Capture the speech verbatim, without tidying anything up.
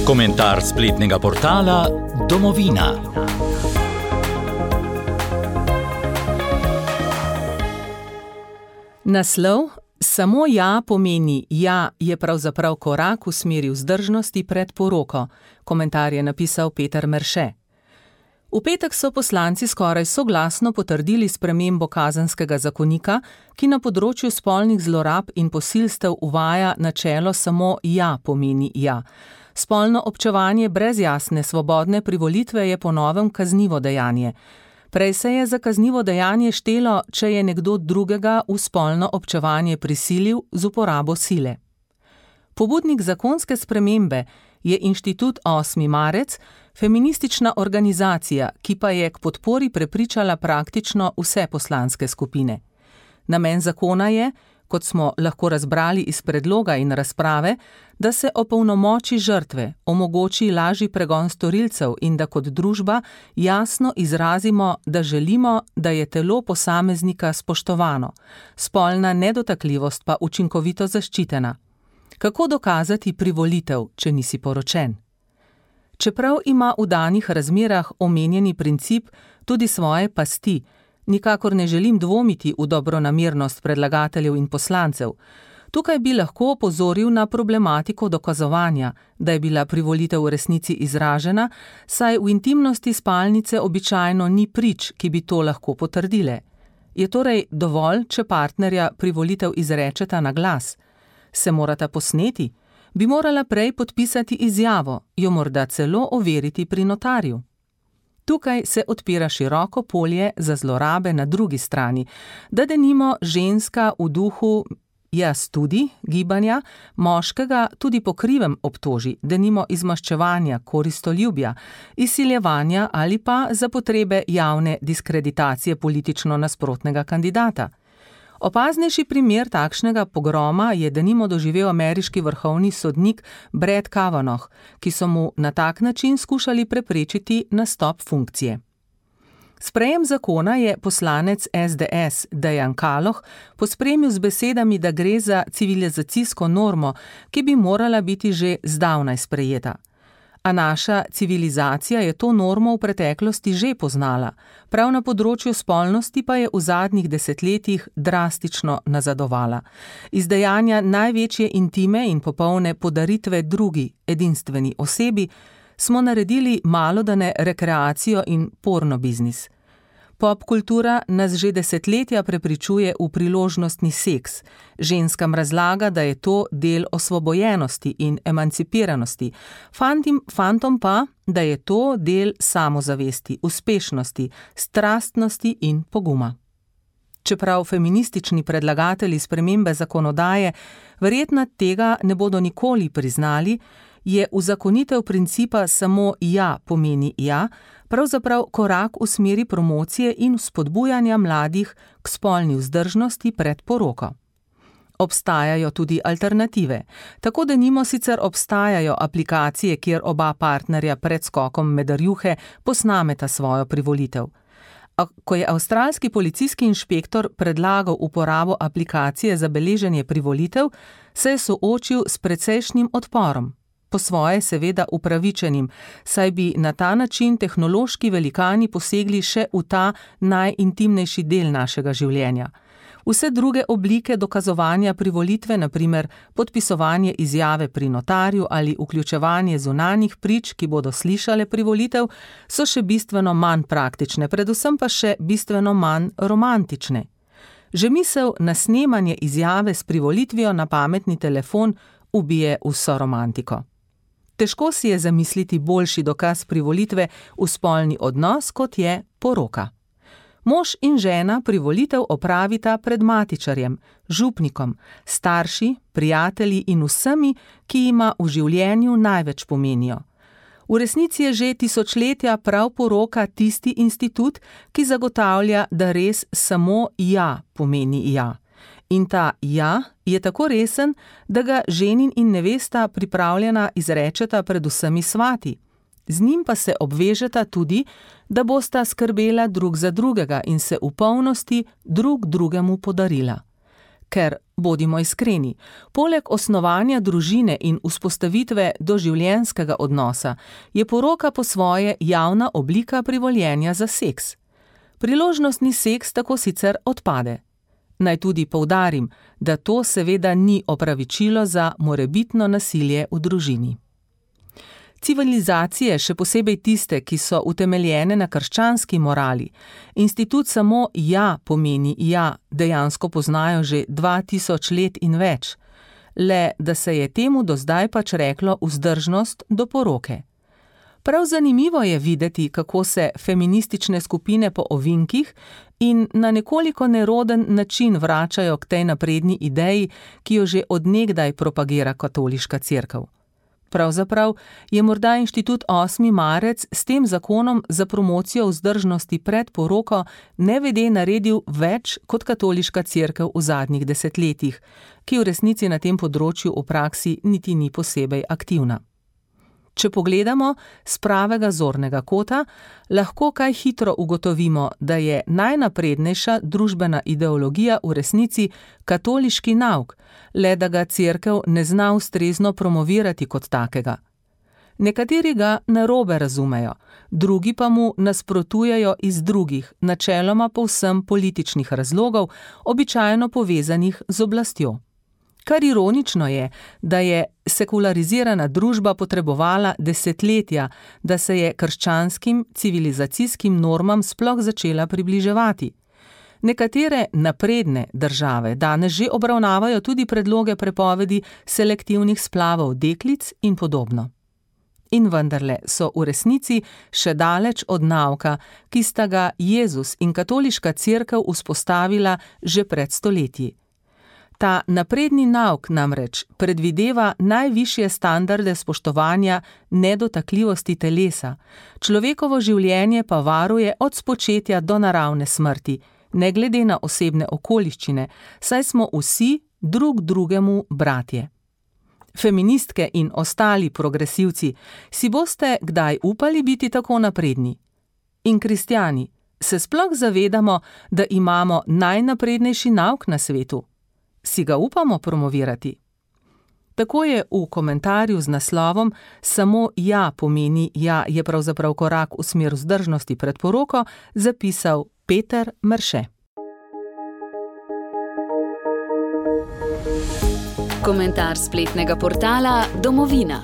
Komentar spletnega portala Domovina. Naslov Samo ja pomeni ja je pravzaprav korak v smeri vzdržnosti pred poroko. Komentar je napisal Peter Merše. V petek so poslanci skoraj soglasno potrdili spremembo kazenskega zakonika, ki na področju spolnih zlorab in posilstev uvaja načelo samo ja pomeni ja. Spolno občevanje brez jasne svobodne privolitve je po novem kaznivo dejanje. Prej se je za kaznivo dejanje štelo, če je nekdo drugega v spolno občevanje prisilil z uporabo sile. Pobudnik zakonske spremembe je Inštitut osmi marec, feministična organizacija, ki pa je k podpori prepričala praktično vse poslanske skupine. Namen zakona je, kot smo lahko razbrali iz predloga in razprave, da se opolnomoči žrtve, omogoči lažji pregon storilcev in da kot družba jasno izrazimo, da želimo, da je telo posameznika spoštovano, spolna nedotakljivost pa učinkovito zaščitena. Kako dokazati privolitev, če nisi poročen? Čeprav ima v danih razmerah omenjeni princip tudi svoje pasti, nikakor ne želim dvomiti v dobronamernost predlagateljev in poslancev. Tukaj bi lahko opozoril na problematiko dokazovanja, da je bila privolitev v resnici izražena, saj v intimnosti spalnice običajno ni prič, ki bi to lahko potrdile. Je torej dovolj, če partnerja privolitev izrečeta na glas? Se morata posneti? Bi morala prej podpisati izjavo, jo morda celo overiti pri notarju? Tukaj se odpira široko polje za zlorabe na drugi strani, da denimo ženska v duhu jaz tudi gibanja, moškega tudi po krivem obtoži, denimo izmaščevanja, koristoljubja, izsiljevanja ali pa za potrebe javne diskreditacije politično nasprotnega kandidata. Opaznejši primer takšnega pogroma je denimo doživel ameriški vrhovni sodnik Brett Kavanaugh, ki so mu na tak način skušali preprečiti nastop funkcije. Sprejem zakona je poslanec es de es Dejan Kaloh pospremil z besedami, da gre za civilizacijsko normo, ki bi morala biti že zdavnaj sprejeta. A naša civilizacija je to normo v preteklosti že poznala, prav na področju spolnosti pa je v zadnjih desetletjih drastično nazadovala. Iz dejanja največje intime in popolne podaritve drugi, edinstveni osebi, smo naredili malodane rekreacijo in porno biznis. Popkultura nas že desetletja prepričuje v priložnostni seks. Ženskam razlaga, da je to del osvobojenosti in emancipiranosti, fantim, fantom pa, da je to del samozavesti, uspešnosti, strastnosti in poguma. Čeprav feministični predlagatelji spremembe zakonodaje verjetno tega ne bodo nikoli priznali, je uzakonitev principa samo ja pomeni ja, pravzaprav korak v smeri promocije in spodbujanja mladih k spolni vzdržnosti pred poroko. Obstajajo tudi alternative. Tako denimo sicer obstajajo aplikacije, kjer oba partnerja pred skokom med rjuhe posnameta svojo privolitev. A ko je avstralski policijski inšpektor predlagal uporabo aplikacije za beleženje privolitev, se je soočil s precejšnjim odporom. Po svoje seveda upravičenim, saj bi na ta način tehnološki velikani posegli še v ta najintimnejši del našega življenja. Vse druge oblike dokazovanja privolitve, na primer podpisovanje izjave pri notarju ali vključevanje zunanjih prič, ki bodo slišale privolitev, so še bistveno manj praktične, predvsem pa še bistveno manj romantične. Že misel na snemanje izjave s privolitvijo na pametni telefon ubije vso romantiko. Težko si je zamisliti boljši dokaz privolitve v spolni odnos, kot je poroka. Mož in žena privolitev opravita pred matičarjem, župnikom, starši, prijatelji in vsemi, ki jima v življenju največ pomenijo. V resnici je že tisočletja prav poroka tisti institut, ki zagotavlja, da res samo ja pomeni ja. In ta ja je tako resen, da ga ženin in nevesta pripravljena izrečeta pred vsemi svati. Z njim pa se obvežeta tudi, da bosta skrbela drug za drugega in se v polnosti drug drugemu podarila. ker, bodimo iskreni, poleg osnovanja družine in vzpostavitve doživljenjskega odnosa je poroka po svoje javna oblika privoljenja za seks. Priložnostni seks tako sicer odpade. Naj tudi poudarim, da to seveda ni opravičilo za morebitno nasilje v družini. Civilizacije, še posebej tiste, ki so utemeljene na krščanski morali, institut samo ja pomeni ja, dejansko poznajo že dva tisoč let in več, le da se je temu do zdaj pač reklo vzdržnost do poroke. Prav zanimivo je videti, kako se feministične skupine po ovinkih in na nekoliko neroden način vračajo k tej napredni ideji, ki jo že od nekdaj propagira katoliška cerkev. Pravzaprav je morda inštitut osmi marec s tem zakonom za promocijo vzdržnosti pred poroko nevede naredil več kot katoliška cerkev v zadnjih desetletjih, ki v resnici na tem področju v praksi niti ni posebej aktivna. Če pogledamo s pravega zornega kota, lahko kaj hitro ugotovimo, da je najnaprednejša družbena ideologija v resnici katoliški nauk, le da ga cerkev ne zna ustrezno promovirati kot takega. Nekateri ga narobe razumejo, drugi pa mu nasprotujejo iz drugih, načeloma povsem političnih razlogov, običajno povezanih z oblastjo. Kar ironično je, da je sekularizirana družba potrebovala desetletja, da se je krščanskim civilizacijskim normam sploh začela približevati. Nekatere napredne države danes že obravnavajo tudi predloge prepovedi selektivnih splavov deklic in podobno. In vendarle so v resnici še daleč od nauka, ki sta ga Jezus in katoliška cerkev vzpostavila že pred stoletji. Ta napredni nauk namreč predvideva najvišje standarde spoštovanja nedotakljivosti telesa, človekovo življenje pa varuje od spočetja do naravne smrti, ne glede na osebne okoliščine, saj smo vsi drug drugemu bratje. Feministke in ostali progresivci, si boste kdaj upali biti tako napredni? In kristjani, se sploh zavedamo, da imamo najnaprednejši nauk na svetu? Si ga upamo promovirati? Tako je v komentarju z naslovom Samo ja pomeni ja je pravzaprav korak v smer vzdržnosti pred poroko zapisal Peter Merše. Komentar spletnega portala Domovina.